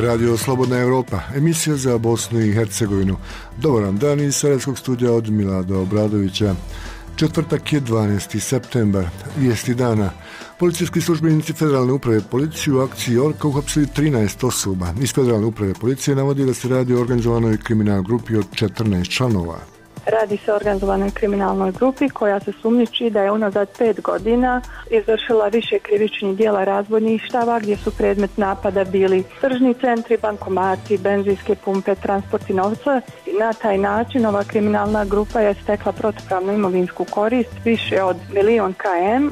Radio Slobodna Europa, emisija za Bosnu i Hercegovinu. Dobar vam dan iz Sarajevskog studija od Milada Obradovića. Četvrtak je 12. septembar, vijesti dana. Policijski službenici Federalne uprave policije u akciji Orka uhapsili 13 osoba. Iz Federalne uprave policije navodi da se radi o organizovanoj kriminalnoj grupi od 14 članova. Radi se o organizovanoj kriminalnoj grupi koja se sumnjiči da je unazad 5 godina izvršila više krivičnih djela razbojništava gdje su predmet napada bili tržni centri, bankomati, benzinske pumpe, transporti novca i na taj način ova kriminalna grupa je stekla protupravnu imovinsku korist više od 1.000.000 km.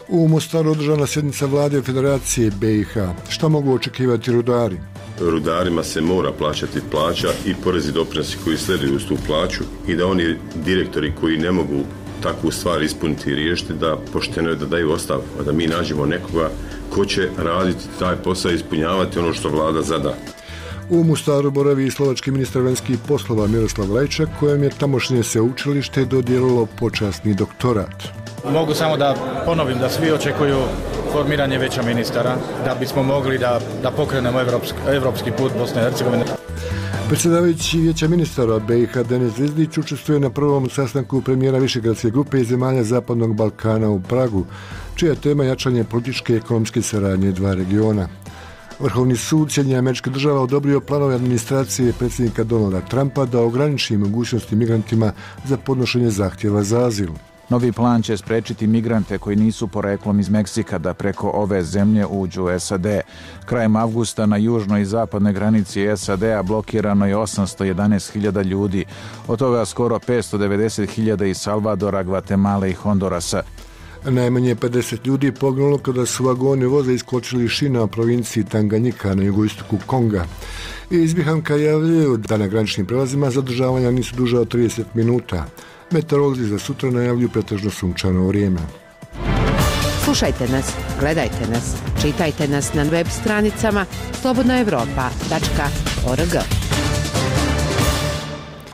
U Mostaru održana sjednica vlade Federacije BiH. Šta mogu očekivati rudari? Rudarima se mora plaćati plaća i porezi doprinosi koji sleduju uz tu plaću i da oni direktori koji ne mogu takvu stvar ispuniti i riješiti da pošteno je da daju ostavku, a da mi nađemo nekoga ko će raditi taj posao i ispunjavati ono što vlada zada. U Mostaru boravi i slovački ministar vanjskih poslova Miroslav Lajčak, kojem je tamošnje sveučilište dodijelilo počasni doktorat. Mogu samo da ponovim da svi očekuju formiranje vijeća ministara da bismo mogli da pokrenemo evropski put Bosne i Hercegovine. Predsjedavajući vijeća ministara BiH Denis Zvizdić učestvuje na prvom sastanku premijera Višegradske grupe i zemalja Zapadnog Balkana u Pragu, čija je tema jačanje političke i ekonomske saradnje dva regiona. Vrhovni sud Sjedinjenih Američkih Država odobrio planove administracije predsjednika Donalda Trumpa da ograniči mogućnosti migrantima za podnošenje zahtjeva za azil. Novi plan će spriječiti migrante koji nisu poreklom iz Meksika da preko ove zemlje uđu u SAD. Krajem avgusta na južnoj i zapadnoj granici SAD-a blokirano je 811.000 ljudi, od toga skoro 590.000 iz Salvadora, Gvatemale i Hondurasa. Najmanje 50 ljudi poginulo kada su vagoni voza iskočili iz šina u provinciji Tanganjika na jugoistoku Konga. Iz Bihanka javljaju da na graničnim prelazima zadržavanja nisu duža od 30 minuta. Meteorolozi za sutra najavljuju pretežno sunčano vrijeme. Slušajte nas, gledajte nas, čitajte nas na web stranicama slobodnaevropa.org.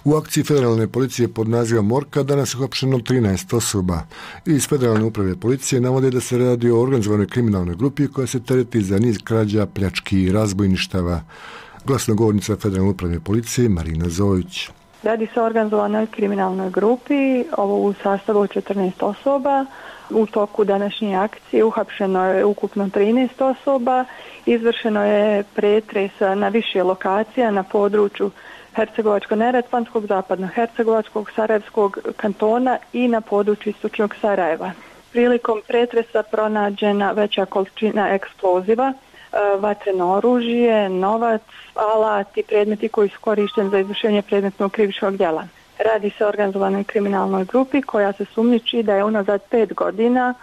U akciji Federalne policije pod nazivom Orka danas je uhapšeno 13 osoba. Iz Federalne uprave policije navode da se radi o organizovanoj kriminalnoj grupi koja se tereti za niz krađa, pljački i razbojništava. Glasnogovornica Federalne uprave policije Marina Zojić. Radi se o organizovanoj kriminalnoj grupi, ovo u sastavu 14 osoba. U toku današnje akcije uhapšeno je ukupno 13 osoba. Izvršeno je pretres na više lokacija na području Hercegovačko-neretvanskog, Zapadno-hercegovačkog, Sarajevskog kantona i na području istočnog Sarajeva. Prilikom pretresa pronađena veća količina eksploziva, vatreno oružje, novac, alat i predmeti koji su korišteni za izvršenje predmetnog krivičnog djela. Radi se o organizovanoj kriminalnoj grupi koja se sumnjiči da je unazad 5 godina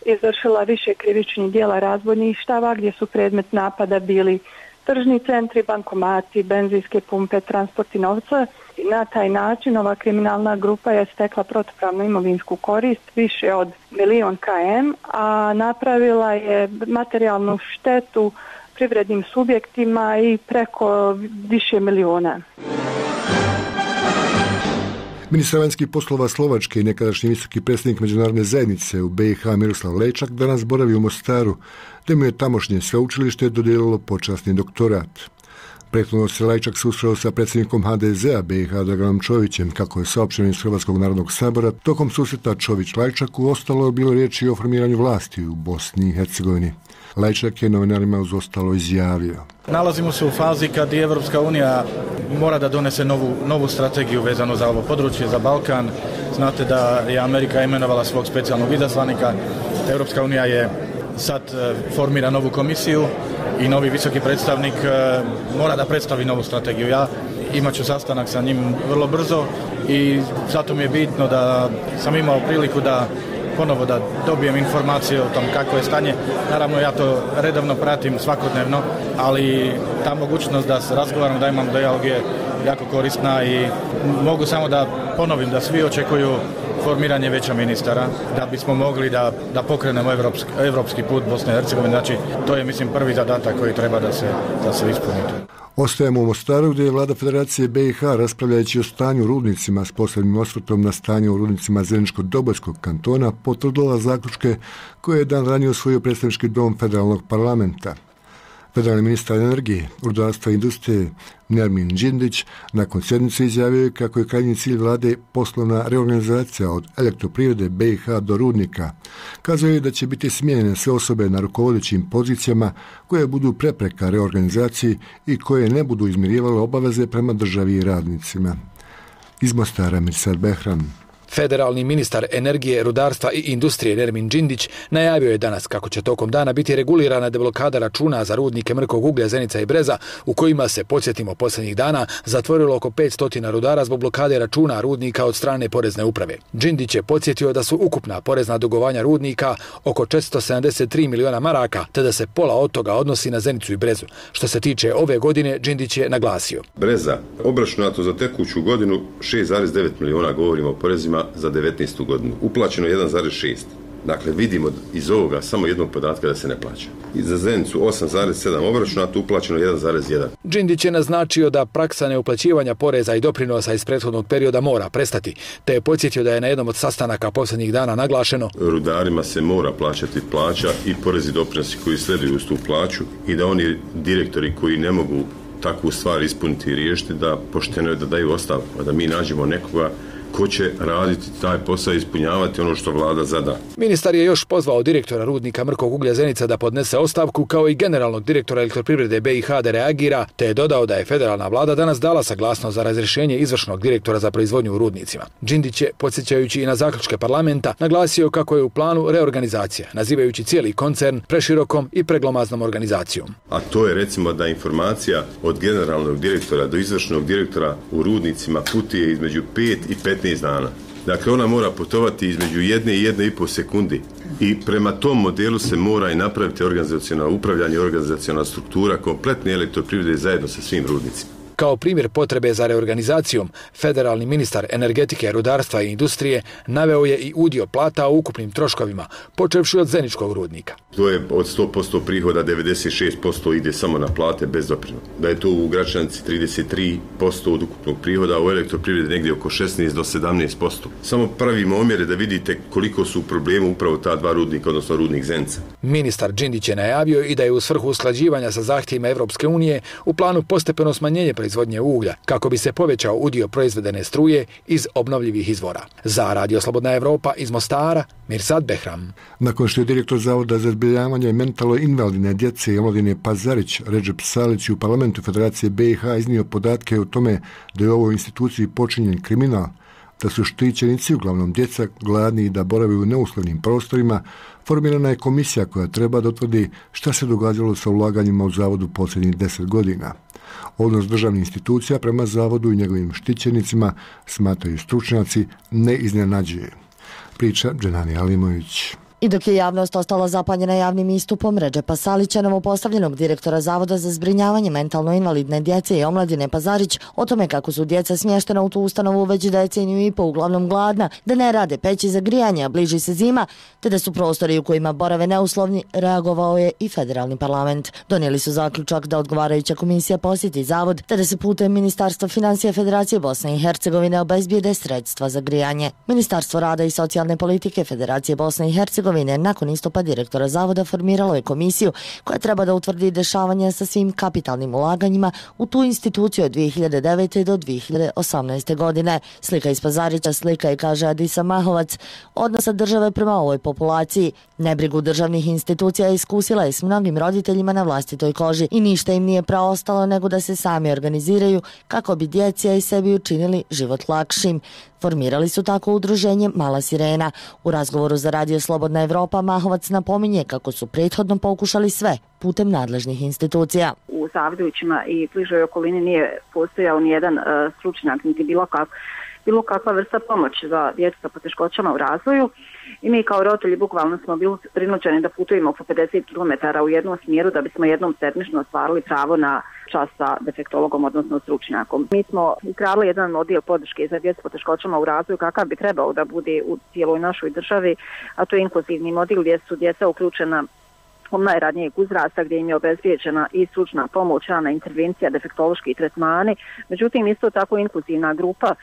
izvršila više krivičnih djela razbojništava gdje su predmet napada bili tržni centri, bankomati, benzinske pumpe, transporti novca i na taj način ova kriminalna grupa je stekla protupravnu imovinsku korist više od 1.000.000 km, a napravila je materijalnu štetu privrednim subjektima i preko više milijuna. Ministar vanjskih poslova Slovačke i nekadašnji visoki predstavnik međunarodne zajednice u BiH Miroslav Lajčak danas boravi u Mostaru, te mu je tamošnje sveučilište dodijelilo počasni doktorat. Prethodno se Lajčak susreo sa predsjednikom HDZ-a BiH Draganom Čovićem, kako je saopšteno iz Hrvatskog narodnog sabora. Tokom susreta Čović-Lajčaku ostalo je bilo riječi o formiranju vlasti u Bosni i Hercegovini. Lajčak je novinarima uz ostalo izjavio. Nalazimo se u fazi kad i Evropska unija mora da donese novu strategiju vezano za ovo područje, za Balkan. Znate da je Amerika imenovala svog specijalnog izaslanika. Evropska unija je sad formira novu komisiju i novi visoki predstavnik mora da predstavi novu strategiju. Ja imat ću sastanak sa njim vrlo brzo i zato mi je bitno da sam imao priliku da ponovo da dobijem informacije o tom kako je stanje. Naravno ja to redovno pratim svakodnevno, ali ta mogućnost da se razgovaram, da imam dijalog je jako korisna i mogu samo da ponovim da svi očekuju formiranje vijeća ministara da bismo mogli da pokrenemo evropski put Bosne i Hercegovine. Znači to je mislim prvi zadatak koji treba da se ispuni. Ostajemo u Mostaru gdje je vlada Federacije BiH raspravljajući o stanju u rudnicima s posebnim osvrtom na stanje u rudnicima Zeničko-Dobojskog kantona potvrdila zaključke koje je dan ranije usvojio predstavnički dom federalnog parlamenta. Federalni ministar energije, rudarstva i industrije Nermin Džindić nakon sjednice izjavio kako je krajnji cilj vlade poslovna reorganizacija od Elektroprivrede BiH do rudnika. Kazao je da će biti smijenjene sve osobe na rukovodećim pozicijama koje budu prepreka reorganizaciji i koje ne budu izmirivale obaveze prema državi i radnicima. Iz Mostara Mirsad Behram. Federalni ministar energije, rudarstva i industrije Nermin Džindić najavio je danas kako će tokom dana biti regulirana deblokada računa za rudnike mrkog uglja Zenica i Breza, u kojima se, podsjetimo, posljednjih dana zatvorilo oko 500 rudara zbog blokade računa rudnika od strane porezne uprave. Džindić je podsjetio da su ukupna porezna dugovanja rudnika oko 473 miliona maraka, te da se pola od toga odnosi na Zenicu i Brezu. Što se tiče ove godine, Džindić je naglasio. Breza, obračunato za tekuću godinu 6,9 miliona, govorimo o porezima, za 19. godinu. Uplaćeno 1,6. Dakle, vidimo iz ovoga samo jednog podatka da se ne plaća. I za Zenicu 8,7 obračunato, uplaćeno 1,1. Džindić je naznačio da praksa neuplaćivanja poreza i doprinosa iz prethodnog perioda mora prestati, te je podsjetio da je na jednom od sastanaka posljednjih dana naglašeno: rudarima se mora plaćati plaća i porezi i doprinosi koji sleduju uz tu plaću i da oni direktori koji ne mogu takvu stvar ispuniti i riješiti, da pošteno je da daju ostavku, da mi nađemo nekoga ko će raditi taj posao i ispunjavati ono što vlada zada. Ministar je još pozvao direktora rudnika mrkog uglja Zenica da podnese ostavku, kao i generalnog direktora Elektroprivrede BiH da reagira, te je dodao da je federalna vlada danas dala saglasnost za razrješenje izvršnog direktora za proizvodnju u rudnicima. Džindić je, podsjećajući i na zaključke parlamenta, naglasio kako je u planu reorganizacija, nazivajući cijeli koncern preširokom i preglomaznom organizacijom. A to je, recimo, da informacija od generalnog direktora do izvršnog direktora u rudnicima putuje između 5 i 15 dana. Dakle, ona mora putovati između 1 i 1,5 sekundi. I prema tom modelu se mora i napraviti organizacionalno upravljanje, organizacionalna struktura kompletne Elektroprivrede zajedno sa svim rudnicima. Kao primjer potrebe za reorganizacijom, federalni ministar energetike, rudarstva i industrije naveo je i udio plata u ukupnim troškovima, počevši od Zeničkog rudnika. To je od 100% prihoda 96% ide samo na plate bez doprinosa. Da je to u Gračanici 33% od ukupnog prihoda, a u Elektroprivredi negdje oko 16 do 17%. Samo pravimo omjere da vidite koliko su u problemu upravo ta dva rudnika, odnosno rudnik Zenica. Ministar Džindić je najavio i da je u svrhu usklađivanja sa zahtjevima Evropske unije u planu postepeno smanjenje proizvodnje uglja, kako bi se povećao udio proizvedene struje iz obnovljivih izvora. Za Radio Slobodna Evropa iz Mostara, Mirsad Behram. Nakon što je direktor Zavoda za zbrinjavanje mentalno invalidne djece i omladine Pazarić, Redžep Salić, u parlamentu Federacije BiH iznio podatke o tome da je u ovoj instituciji počinjen kriminal, da su štićenici, uglavnom djeca, gladni i da borave u neuslovnim prostorima, formirana je komisija koja treba da utvrdi šta se događalo sa ulaganjima u zavodu posljednjih 10 godina. Odnos državnih institucija prema zavodu i njegovim štićenicima, smatraju stručnjaci, ne iznenađuje. Priča Dženani Alimović. I dok je javnost ostala zapanjena javnim istupom Redžepa Salića, novopostavljenog direktora Zavoda za zbrinjavanje mentalno invalidne djece i omladine Pazarić, o tome kako su djeca smještena u tu ustanovu već deceniju i po, uglavnom gladna, da ne rade peći za grijanje, a bliži se zima, te da su prostori u kojima borave neuslovni, reagovao je i federalni parlament. Donijeli su zaključak da odgovarajuća komisija posjeti zavod, te da se putem Ministarstva financija Federacije Bosne i Hercegovine obezbijede sredstva za grijanje. Ministarstvo rada i socijalne politike Federacije Bosne i Hercegovine nakon istupa direktora zavoda formiralo je komisiju koja treba da utvrdi dešavanja sa svim kapitalnim ulaganjima u tu instituciju od 2009. do 2018. godine. Slika iz Pazarića, slika je, kaže Adisa Mahovac, odnosa države prema ovoj populaciji. Nebrigu državnih institucija iskusila je s mnogim roditeljima na vlastitoj koži i ništa im nije preostalo nego da se sami organiziraju kako bi djeci i sebi učinili život lakšim. Formirali su tako udruženje Mala Sirena. U razgovoru za Radio Slobodna Evropa Mahovac napominje kako su prethodno pokušali sve putem nadležnih institucija. U Savdovićima i bližoj okolini nije postojao nijedan stručnjak, niti bilo kakva vrsta pomoći za djecu sa poteškoćama u razvoju. I mi kao roditelji bukvalno smo bili prinuđeni da putujemo po 50 km u jednom smjeru da bismo jednom sedmično ostvarili pravo na čas sa defektologom, odnosno stručnjakom. Mi smo izgradili jedan odjel podrške za djecu s poteškoćama u razvoju kakav bi trebao da bude u cijeloj našoj državi, a to je inkluzivni model gdje su djeca uključena od najranijeg uzrasta, gdje im je obezbijeđena i stručna pomoć, rana intervencija, defektološki tretmani. Međutim, isto tako inkluzivna grupa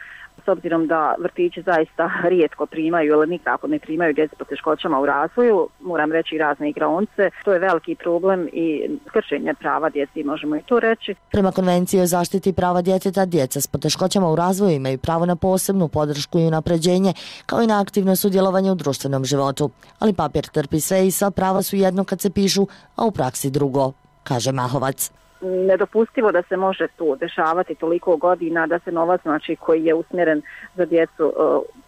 S obzirom da vrtići zaista rijetko primaju ili nikako ne primaju djecu s poteškoćama u razvoju, moram reći razne igraonice, to je veliki problem i kršenje prava djeci, možemo i to reći. Prema Konvenciji o zaštiti prava djeteta, djeca s poteškoćama u razvoju imaju pravo na posebnu podršku i unapređenje, kao i na aktivno sudjelovanje u društvenom životu. Ali papir trpi sve i sva prava su jedno kad se pišu, a u praksi drugo, kaže Mahovac. Nedopustivo da se može to dešavati toliko godina, da se novac koji je usmjeren za djecu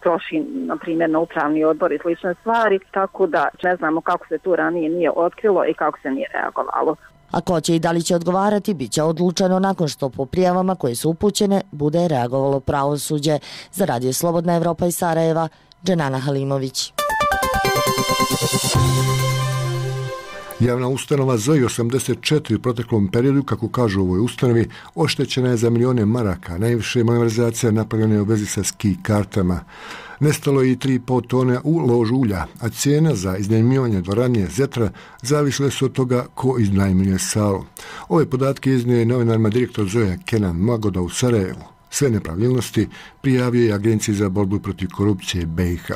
troši na primjer na upravni odbor i slične stvari, tako da ne znamo kako se to ranije nije otkrilo i kako se nije reagovalo. A ko će i da li će odgovarati, bit će odlučeno nakon što po prijavama koje su upućene bude reagovalo pravosuđe. Za Radio Slobodna Evropa iz Sarajeva, Dženana Halimović. Javna ustanova ZOI 84 u proteklom periodu, kako kažu u ovoj ustanovi, oštećena je za milijone maraka. Najviše malverzacija napravljena je u vezi sa ski kartama. Nestalo je i 3,5 tone u ložu ulja, a cijena za iznajmljivanje dvorane Zetra zavisile su od toga ko iznajmljuje salu. Ove podatke iznio je novinarima direktor ZOI-a Kenan Magoda u Sarajevu. Sve nepravilnosti prijavio je Agenciji za borbu protiv korupcije BiH.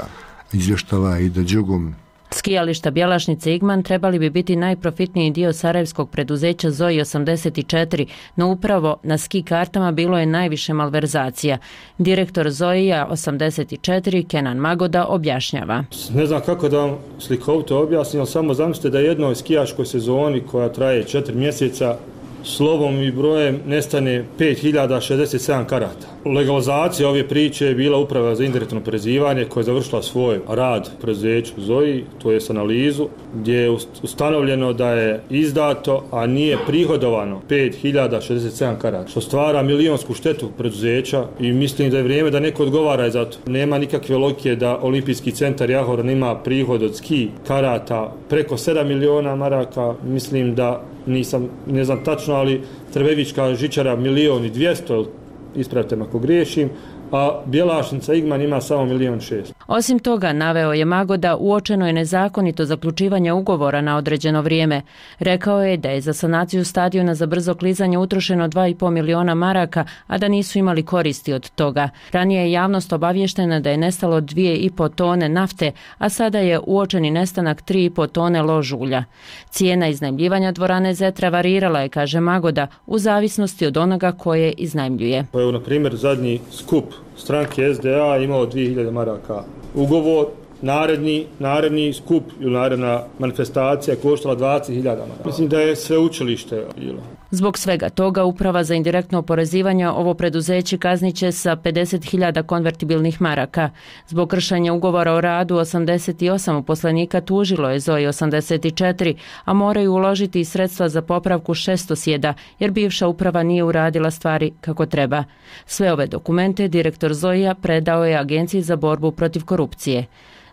Izvještava Aida Đugum. Skijališta Bjelašnice Igman trebali bi biti najprofitniji dio sarajevskog preduzeća ZOI 84, no upravo na ski kartama bilo je najviše malverzacija. Direktor ZOI-a 84, Kenan Magoda, objašnjava. Ne znam kako da vam slikovito objasnim, ali samo zamislite da jednoj skijaškoj sezoni koja traje 4 mjeseca slovom i brojem nestane 5067 karata. Legalizacija ove priče je bila Uprava za indirektno oporezivanje koja je završila svoj rad u preduzeću ZOI, to je analizu, gdje je ustanovljeno da je izdato, a nije prihodovano 5067 karata, što stvara milionsku štetu preduzeća i mislim da je vrijeme da neko odgovara za to. Nema nikakve logike da Olimpijski centar Jahoran ima prihod od ski karata preko 7 miliona maraka, mislim da ne znam tačno, ali Trebevička žičara 1.200.000, ispravite me ako griješim, a Bjelašnica Igman ima samo 1.600.000. Osim toga, naveo je Magoda, uočeno je nezakonito zaključivanje ugovora na određeno vrijeme. Rekao je da je za sanaciju stadiona za brzo klizanje utrošeno 2,5 miliona maraka, a da nisu imali koristi od toga. Ranije je javnost obavještena da je nestalo 2,5 tone nafte, a sada je uočeni nestanak 3,5 tone lož ulja. Cijena iznajmljivanja dvorane Zetra varirala je, kaže Magoda, u zavisnosti od onoga koje iznajmljuje. Evo, na primjer, zadnji skup stranke SDA imao 2000 maraka. Ugovor, naredni skup ili naredna manifestacija koštala 20.000 maraka. Mislim da je sveučilište bilo. Zbog svega toga, Uprava za indirektno oporezivanje ovo preduzeće kazniće sa 50.000 konvertibilnih maraka. Zbog kršenja ugovora o radu 88 uposlenika tužilo je ZOI 84, a moraju uložiti i sredstva za popravku šestosjeda, jer bivša uprava nije uradila stvari kako treba. Sve ove dokumente direktor ZOI-a predao je Agenciji za borbu protiv korupcije.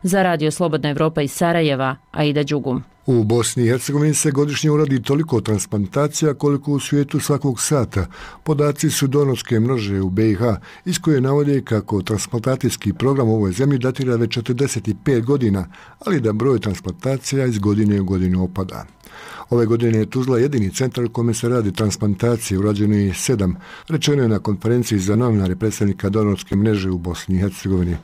Za Radio Slobodna Evropa iz Sarajeva, Aida Đugum. U Bosni i Hercegovini se godišnje uradi toliko transplantacija koliko u svijetu svakog sata. Podaci su donorske mreže u BiH, iz koje navode kako transplantacijski program u ovoj zemlji datira već 45 godina, ali da broj transplantacija iz godine u godinu opada. Ove godine je Tuzla jedini centar u kome se radi transplantacije, urađeno je 7, rečeno je na konferenciji za novinare predstavnika donorske mreže u Bosni i Hercegovini.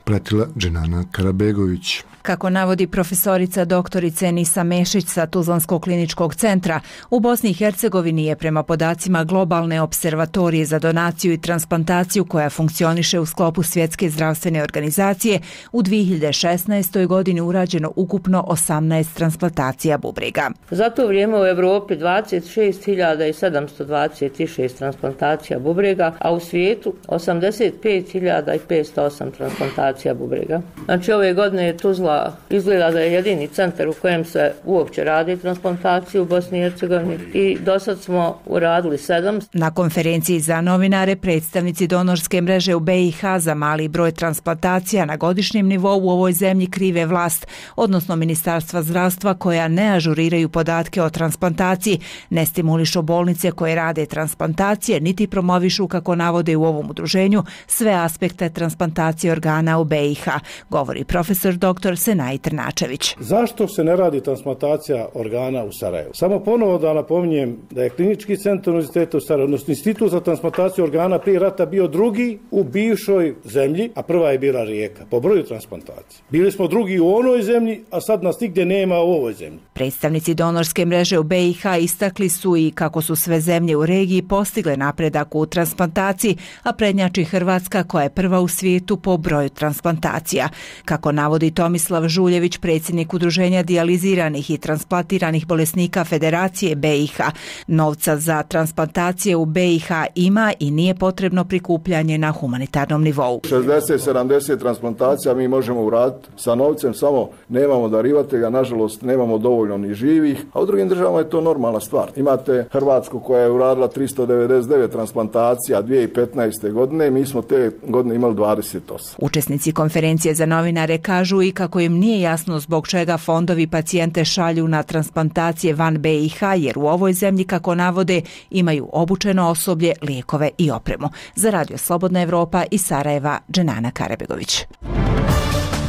Pratila Dženana Karabegović. Kako navodi profesorica doktorica Nisa Mešić sa Tuzlanskog kliničkog centra, u Bosni i Hercegovini je prema podacima globalne observatorije za donaciju i transplantaciju koja funkcioniše u sklopu Svjetske zdravstvene organizacije u 2016. godini urađeno ukupno 18 transplantacija bubrega. Za to vrijeme u Evropi 26.726 transplantacija bubrega, a u svijetu 85.508 transplantacija bubrega. Znači ove godine je Tuzla izgleda da je jedini centar u kojem se uopće radi transplantaciju u Bosni i Hercegovini i do sad smo uradili 7. Na konferenciji za novinare predstavnici donorske mreže u BiH za mali broj transplantacija na godišnjem nivou u ovoj zemlji krive vlast, odnosno Ministarstva zdravstva koja ne ažuriraju podatke o transplantaciji, ne stimulišu bolnice koje rade transplantacije, niti promovišu, kako navode u ovom udruženju, sve aspekte transplantacije organa u BiH, govori profesor dr. Senaj Trnačević. Zašto se ne radi transplantacija organa u Sarajevu? Samo ponovo da napominjem da je Klinički centar Univerziteta u Sarajevu, odnosno Institut za transplantaciju organa prije rata bio drugi u bivšoj zemlji, a prva je bila Rijeka po broju transplantacije. Bili smo drugi u onoj zemlji, a sad nas nigdje nema u ovoj zemlji. Predstavnici donorske mreže u BiH istakli su i kako su sve zemlje u regiji postigle napredak u transplantaciji, a prednjači Hrvatska koja je prva u svijetu po broju transplantacija. Kako navodi Tomislav Žuljević, predsjednik Udruženja dijaliziranih i transplantiranih bolesnika Federacije BiH, novca za transplantacije u BiH ima i nije potrebno prikupljanje na humanitarnom nivou. 60-70 transplantacija mi možemo uraditi sa novcem, samo nemamo darivatelja, nažalost nemamo dovoljno ni živih, a u drugim državama je to normalna stvar. Imate Hrvatsku koja je uradila 399 transplantacija 2015. godine, mi smo te godine imali 28. Učesnici konferencije za novinare kažu i kako im nije jasno zbog čega fondovi pacijente šalju na transplantacije van BiH, jer u ovoj zemlji, kako navode, imaju obučeno osoblje, lijekove i opremu. Za Radio Slobodna Evropa iz Sarajeva, Dženana Karabegović.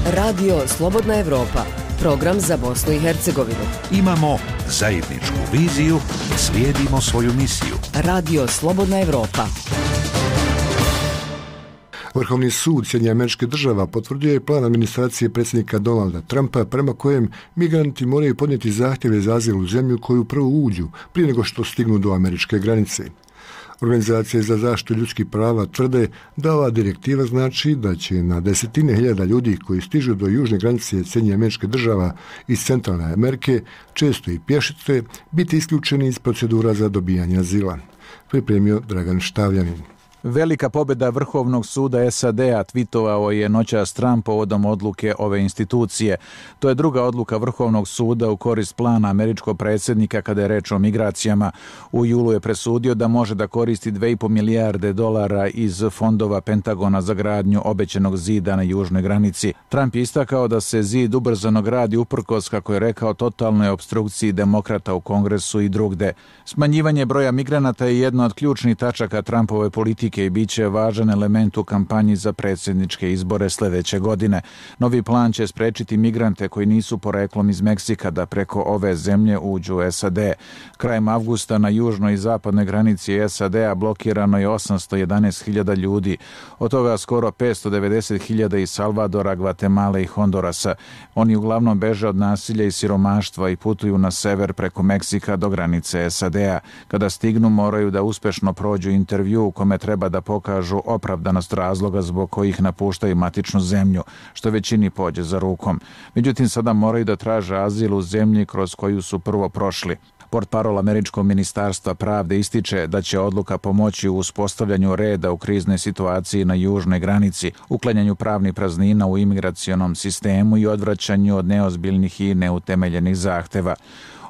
Radio Slobodna Evropa, program za Bosnu i Hercegovinu. Imamo zajedničku viziju, slijedimo svoju misiju. Radio Slobodna Evropa. Vrhovni sud Sjedinjenih Američkih Država potvrdio je plan administracije predsjednika Donalda Trumpa prema kojem migranti moraju podnijeti zahtjeve za azil u zemlju koju prvo uđu prije nego što stignu do američke granice. Organizacije za zaštitu ljudskih prava tvrde da ova direktiva znači da će na desetine hiljada ljudi koji stižu do južne granice Sjedinjenih Američkih Država iz Centralne Amerike, često i pješice, biti isključeni iz procedura za dobijanje azila. Pripremio Dragan Štavljanin. Velika pobjeda Vrhovnog suda SAD-a, tvitovao je noćas Trump povodom odluke ove institucije. To je druga odluka Vrhovnog suda u korist plana američkog predsjednika kada je reč o migracijama. U julu je presudio da može da koristi 2,5 milijarde dolara iz fondova Pentagona za gradnju obećenog zida na južnoj granici. Trump je istakao da se zid ubrzano gradi uprkos, kako je rekao, totalnoj opstrukciji demokrata u Kongresu i drugde. Smanjivanje broja migranata je jedna od ključnih tačaka Trumpove politike i bit će važan element u kampanji za predsjedničke izbore sljedeće godine. Novi plan će sprečiti migrante koji nisu poreklom iz Meksika da preko ove zemlje uđu u SAD. Krajem avgusta na južnoj i zapadnoj granici SAD-a blokirano je 811.000 ljudi, od toga skoro 590.000 iz Salvadora, Gvatemale i Hondurasa. Oni uglavnom beže od nasilja i siromaštva i putuju na sever preko Meksika do granice SAD-a. Kada stignu moraju da uspješno prođu intervju u kome treba da pokažu opravdanost razloga zbog kojih napuštaju matičnu zemlju, što većini pođe za rukom. Međutim, sada moraju da traže azil u zemlji kroz koju su prvo prošli. Portparol američkog ministarstva pravde ističe da će odluka pomoći u uspostavljanju reda u kriznoj situaciji na južnoj granici, uklanjanju pravnih praznina u imigracionom sistemu i odvraćanju od neozbiljnih i neutemeljenih zahteva.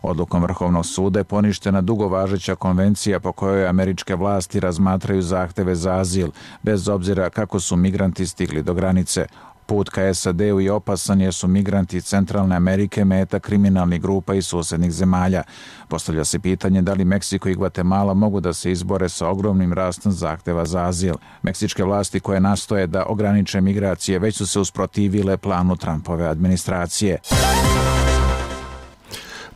Odlukom Vrhovnog suda je poništena dugo važeća konvencija po kojoj američke vlasti razmatraju zahteve za azil, bez obzira kako su migranti stigli do granice. Put ka SAD-u je opasan jer su migranti iz Centralne Amerike meta kriminalnih grupa i susjednih zemalja. Postavlja se pitanje da li Meksiko i Gvatemala mogu da se izbore sa ogromnim rastom zahteva za azil. Meksičke vlasti koje nastoje da ograniče migracije već su se usprotivile planu Trumpove administracije.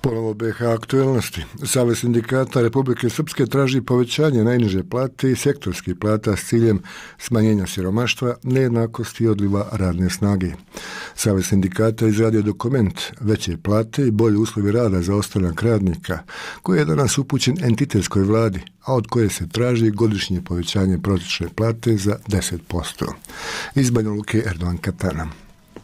Ponovo BiH aktualnosti. Savez sindikata Republike Srpske traži povećanje najniže plate i sektorskih plata s ciljem smanjenja siromaštva, nejednakosti i odliva radne snage. Savez sindikata izradio dokument veće plate i bolji uslovi rada za ostanak radnika, koji je danas upućen entitetskoj vladi, a od koje se traži godišnje povećanje prosječne plate za 10%. Iz Banja Luke, Erdogan Katana.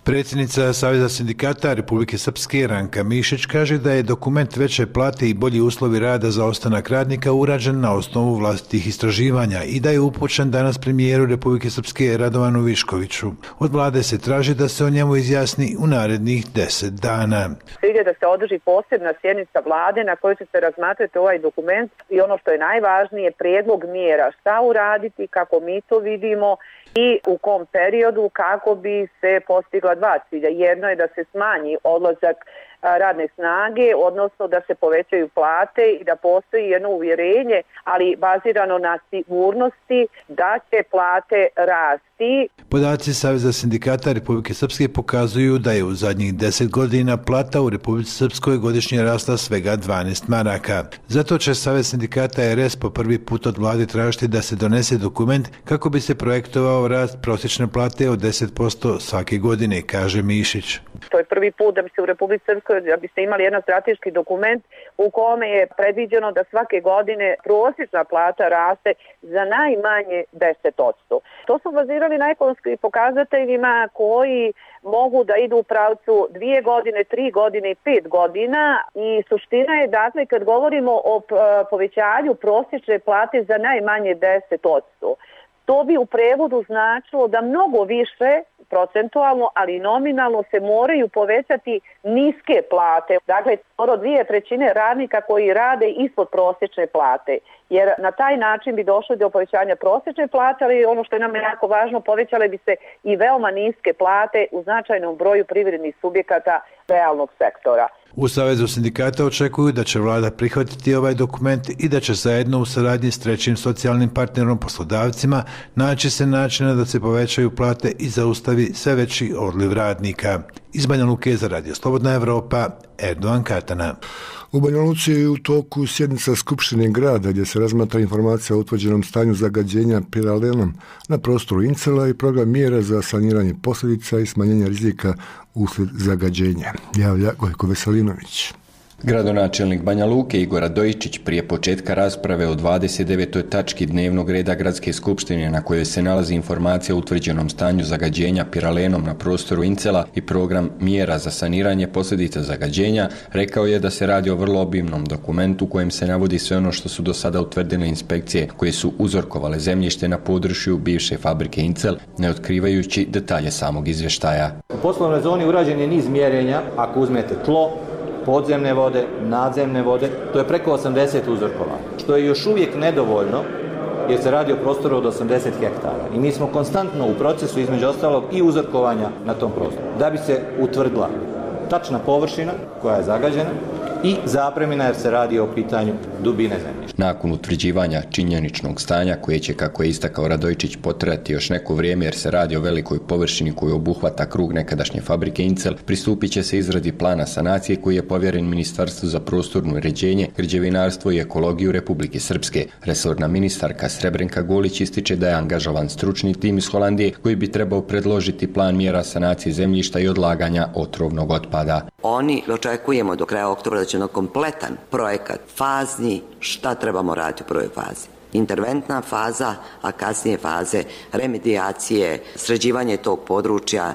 Predsjednica Saveza sindikata Republike Srpske Ranka Mišić kaže da je dokument veće plate i bolji uslovi rada za ostanak radnika urađen na osnovu vlastitih istraživanja i da je upućen danas premijeru Republike Srpske Radovanu Viškoviću. Od vlade se traži da se o njemu izjasni u narednih 10 dana. Cilj je da se održi posebna sjednica vlade na kojoj će se razmatrati ovaj dokument i ono što je najvažnije, prijedlog mjera šta uraditi, kako mi to vidimo i u kom periodu kako bi se postigla dva cilja. Jedno je da se smanji odlazak radne snage, odnosno da se povećaju plate i da postoji jedno uvjerenje, ali bazirano na sigurnosti da će plate rasti. Podaci Saveza sindikata Republike Srpske pokazuju da je u zadnjih 10 godina plata u Republici Srpskoj godišnje rasla svega 12 maraka. Zato će Savez sindikata RS po prvi put od vlade tražiti da se donese dokument kako bi se projektovao rast prosječne plate od 10% svake godine, kaže Mišić. To je prvi put da bi se u Republici Srpskoj, da bi se imali jedan strateški dokument u kome je predviđeno da svake godine prosječna plata raste za najmanje 10%. To su bazirali na ekonomskim pokazateljima koji mogu da idu u pravcu 2 godine, 3 godine i 5 godina i suština je dakle kad govorimo o povećanju prosječne plate za najmanje 10%. To bi u prevodu značilo da mnogo više procentualno, ali i nominalno se moraju povećati niske plate. Dakle, 2/3 radnika koji rade ispod prosječne plate. Jer na taj način bi došli do povećanja prosječne plate, ali ono što je nam jako važno, povećale bi se i veoma niske plate u značajnom broju privrednih subjekata realnog sektora. U Savezu sindikata očekuju da će vlada prihvatiti ovaj dokument i da će zajedno u saradnji s trećim socijalnim partnerom poslodavcima naći se načina da se povećaju plate i zaustavi sve veći odliv radnika. Iz Banja Luke za Radio Slobodna Evropa, Erdogan Katana. U Banja Luci je u toku sjednica Skupštine grada gdje se razmatra informacija o utvrđenom stanju zagađenja piralenom na prostoru Incela i program mjera za saniranje posljedica i smanjenje rizika uslijed zagađenja. Javlja Gojko Veselinović. Gradonačelnik Banja Luke Igor Radojičić prije početka rasprave o 29. tački dnevnog reda Gradske skupštine na kojoj se nalazi informacija o utvrđenom stanju zagađenja piralenom na prostoru Incela i program mjera za saniranje posljedica zagađenja, rekao je da se radi o vrlo obimnom dokumentu u kojem se navodi sve ono što su do sada utvrdile inspekcije koje su uzorkovale zemljište na području bivše fabrike Incel, ne otkrivajući detalje samog izvještaja. U poslovnoj zoni urađen je niz mjerenja, ako uzmete tlo, podzemne vode, nadzemne vode, to je preko 80 uzorkova, što je još uvijek nedovoljno jer se radi o prostoru od 80 hektara. I mi smo konstantno u procesu, između ostalog, i uzorkovanja na tom prostoru, da bi se utvrdila tačna površina koja je zagađena i zapremina jer se radi o pitanju dubine zemljišta. Nakon utvrđivanja činjeničnog stanja koje će, kako je istakao Radojičić, potrajati još neko vrijeme jer se radi o velikoj površini koju obuhvata krug nekadašnje fabrike Incel, pristupit će se izradi plana sanacije koji je povjeren Ministarstvu za prostorno uređenje, građevinarstvo i ekologiju Republike Srpske. Resorna ministarka Srebrenka Golić ističe da je angažovan stručni tim iz Holandije koji bi trebao predložiti plan mjera sanacije zemljišta i odlaganja otrovnog otpada. Oni očekujemo do kraja oktobra da će na kompletan projekat fazni šta trebamo raditi u prvoj fazi. Interventna faza, a kasnije faze remedijacije, sređivanje tog područja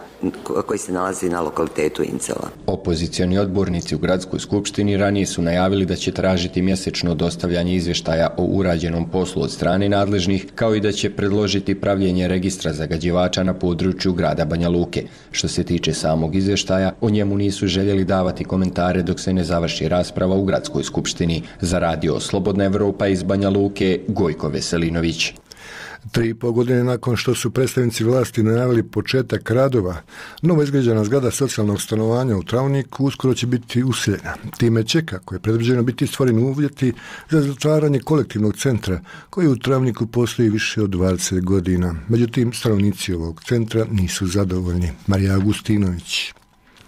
koji se nalazi na lokalitetu Incela. Opozicioni odbornici u Gradskoj skupštini ranije su najavili da će tražiti mjesečno dostavljanje izvještaja o urađenom poslu od strane nadležnih, kao i da će predložiti pravljenje registra zagađivača na području grada Banja Luke. Što se tiče samog izvještaja, o njemu nisu željeli davati komentare dok se ne završi rasprava u Gradskoj skupštini. Za Radio Slobodna Evropa iz Banja Luke, Gojko Veselinović. 3,5 godine nakon što su predstavnici vlasti najavili početak radova, novo izgrađena zgrada socijalnog stanovanja u Travniku uskoro će biti useljena. Time će, kako je predviđeno, biti stvoreni uvjeti za zatvaranje kolektivnog centra koji u Travniku postoji više od 20 godina. Međutim, stanovnici ovog centra nisu zadovoljni. Marija Agustinović.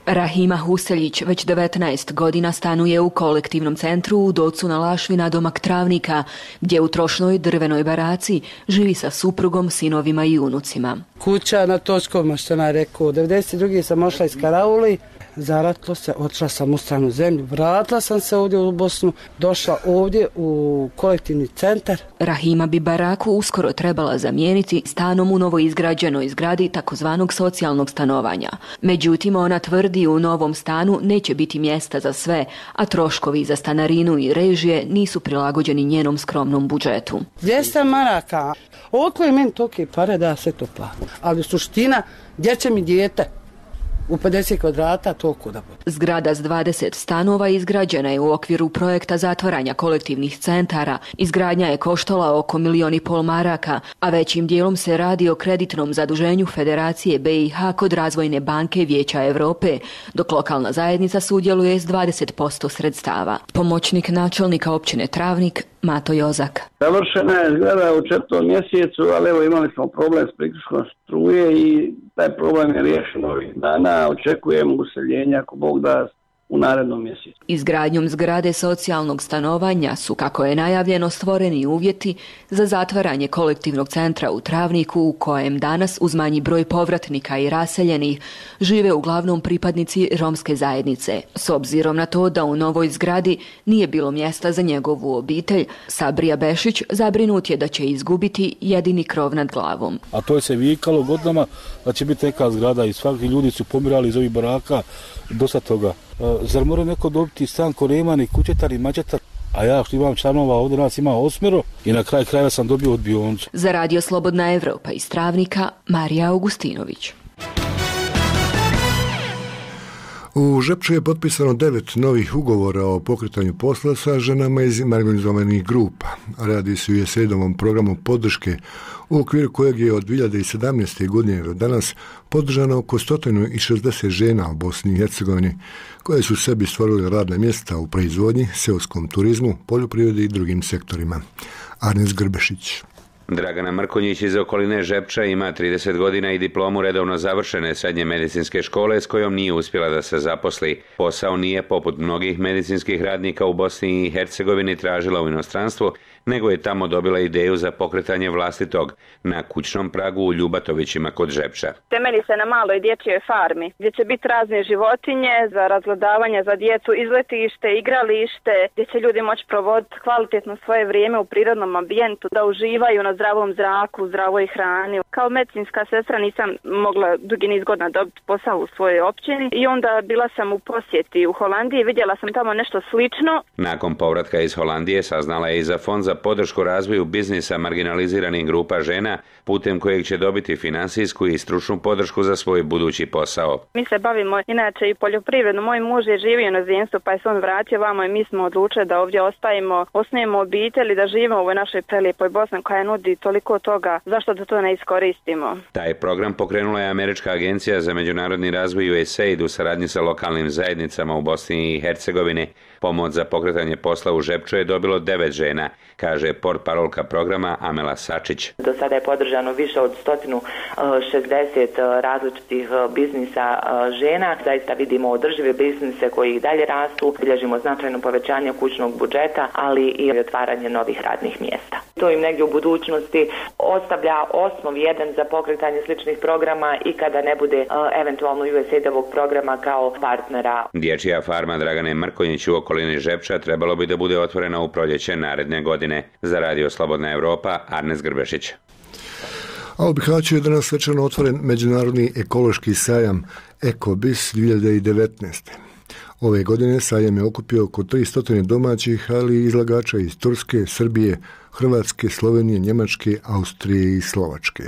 Rahima Huseljić već 19 godina stanuje u kolektivnom centru u Docu na Lašvi nadomak Travnika, gdje u trošnoj drvenoj baraci živi sa suprugom, sinovima i unucima. Kuća na Točkovima, što nam je rekao. 92. sam ošla iz Karauli, zaratilo se, otišla sam u stranu zemlju, vratila sam se ovdje u Bosnu, došla ovdje u kolektivni centar. Rahima bi baraku uskoro trebala zamijeniti stanom u novoizgrađenoj zgradi takozvanog socijalnog stanovanja. Međutim, ona tvrdi u novom stanu neće biti mjesta za sve, a troškovi za stanarinu i režije nisu prilagođeni njenom skromnom budžetu. 200 maraka, ovo je meni tolike pare da se to plati. Ali suština, gdje će mi dijete? u 50 kvadrata to kuda bude. Zgrada s 20 stanova izgrađena je u okviru projekta zatvaranja kolektivnih centara. Izgradnja je koštala oko 1,5 milijuna maraka, a većim dijelom se radi o kreditnom zaduženju Federacije BiH kod Razvojne banke Vijeća Europe, dok lokalna zajednica sudjeluje s 20% sredstava. Pomoćnik načelnika općine Travnik Mato Jozak. Završena je zgrada u 4. mjesecu, ali evo imali smo problem s priključkom struje i taj problem je riješen ovih dana. Očekujemo useljenje ako Bog da u narednom mjesecu. Izgradnjom zgrade socijalnog stanovanja su, kako je najavljeno, stvoreni uvjeti za zatvaranje kolektivnog centra u Travniku, u kojem danas uz manji broj povratnika i raseljenih žive uglavnom pripadnici romske zajednice. S obzirom na to da u novoj zgradi nije bilo mjesta za njegovu obitelj, Sabrija Bešić zabrinut je da će izgubiti jedini krov nad glavom. A to je se vikalo godinama da će biti neka zgrada i svaki ljudi su pomirali iz ovih baraka, dosta toga. Zar mora neko dobiti stan ko nema ni kućetar i mačetar? A ja što imam članova, ovdje nas ima 8 i na kraj kraja sam dobio odbioncu. Za Radio Slobodna Evropa iz Travnika, Marija Augustinović. U Žepču je potpisano 9 novih ugovora o pokretanju posla sa ženama iz marginalizovanih grupa. Radi se o USAID-ovom programu podrške u okviru kojeg je od 2017. godine do danas podržano oko 160 žena u Bosni i Hercegovini koje su sebi stvorile radna mjesta u proizvodnji, seoskom turizmu, poljoprivredi i drugim sektorima. Arnes Grbešić. Dragana Mrkonjić iz okoline Žepča ima 30 godina i diplomu redovno završene srednje medicinske škole s kojom nije uspjela da se zaposli. Posao nije, poput mnogih medicinskih radnika u Bosni i Hercegovini, tražila u inostranstvu, nego je tamo dobila ideju za pokretanje vlastitog na kućnom pragu u Ljubatovićima kod Žepča. Temelji se na maloj dječjoj farmi, gdje će biti razne životinje za razgledavanje za djecu, izletište, igralište, gdje će ljudi moći provoditi kvalitetno svoje vrijeme u prirodnom ambijentu, da uživaju na zdravom zraku, zdravoj hrani. Kao medicinska sestra nisam mogla dugi niz godina dobiti posao u svojoj općini i onda bila sam u posjeti u Holandiji, vidjela sam tamo nešto slično. Nakon povratka iz Holandije saznala je i za fond za podršku razvoju biznisa marginaliziranih grupa žena, putem kojeg će dobiti finansijsku i stručnu podršku za svoj budući posao. Mi se bavimo inače i poljoprivredno. Moj muž je živio na inozemstvu, pa je se on vratio vamo i mi smo odlučili da ovdje ostajemo, osnujemo obitelj i da živimo u ovoj našoj prelijepoj Bosni koja nudi toliko toga. Zašto da to ne iskoristimo? Taj program pokrenula je Američka agencija za međunarodni razvoj USAID u saradnji sa lokalnim zajednicama u Bosni i Hercegovini. Pomoć za pokretanje posla u Žepču je dobilo 9 žena, kaže portparolka programa Amela Sačić. Do sada je podržano više od 160 različitih biznisa žena. Zaista vidimo održive biznise koji i dalje rastu. Bilježimo značajno povećanje kućnog budžeta, ali i otvaranje novih radnih mjesta. To im negdje u budućnosti ostavlja osnov jedan za pokretanje sličnih programa i kada ne bude eventualno USAID-ovog programa kao partnera. Dječja farma Dragane Mrkonjić u okolini Žepča trebalo bi da bude otvorena u proljeće naredne godine. Za Radio Slobodna Evropa, Arnes Grbešić. A u Bihaću je danas svečano otvoren međunarodni ekološki sajam EkoBis 2019. Ove godine sajam je okupio oko 300 domaćih, ali i izlagača iz Turske, Srbije, Hrvatske, Slovenije, Njemačke, Austrije i Slovačke.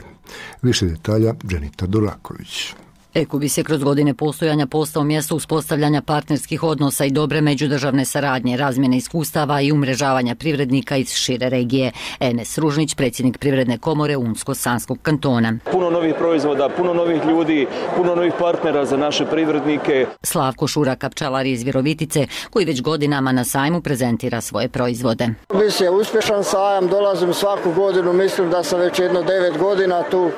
Više detalja Dženita Duraković. EkoBis je kroz godine postojanja postao mjesto uspostavljanja partnerskih odnosa i dobre međudržavne saradnje, razmjene iskustava i umrežavanja privrednika iz šire regije. Enes Ružnić, predsjednik Privredne komore Unsko-Sanskog kantona. Puno novih proizvoda, puno novih ljudi, puno novih partnera za naše privrednike. Slavko Šuraka, pčelar iz Virovitice, koji već godinama na sajmu prezentira svoje proizvode. EkoBis je uspješan sajam, dolazim svaku godinu, mislim da sam već 9 godina tu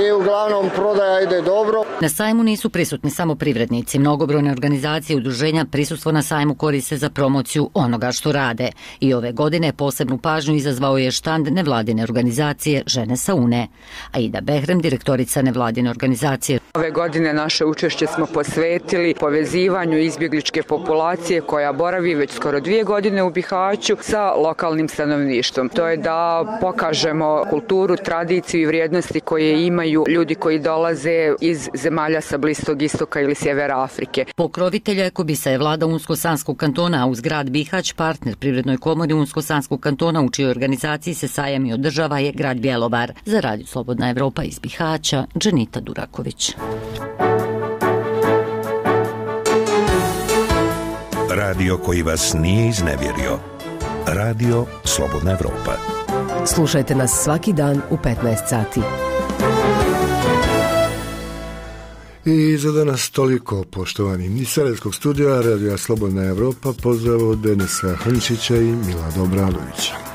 i uglavnom prodaja ide dobro. Na sajmu nisu prisutni samo privrednici. Mnogobrojne organizacije i udruženja prisustvo na sajmu koriste za promociju onoga što rade. I ove godine posebnu pažnju izazvao je štand nevladine organizacije Žene sa Une. Aida Behrem, direktorica nevladine organizacije. Ove godine naše učešće smo posvetili povezivanju izbjegličke populacije koja boravi već skoro 2 godine u Bihaću sa lokalnim stanovništvom. To je da pokažemo kulturu, tradiciju i vrijednosti koje imaju ljudi koji dolaze iz zemalja sa Bliskog istoka ili sjevera Afrike. Pokrovitelja EkoBisa je vlada Unsko-Sanskog kantona, a uz grad Bihać, partner Privrednoj komori Unsko-Sanskog kantona, u čijoj organizaciji se sajam i održava, je grad Bjelovar. Za Radio Slobodna Evropa iz Bihaća, Dženita Duraković. Radio koji vas nije iznevjerio. Radio Slobodna Evropa. Slušajte nas svaki dan u 15 sati. I za danas toliko, poštovani. Iz Sarajevskog studija Radija Slobodna Evropa pozdrav od Denisa Hrnčića i Milada Obradovića.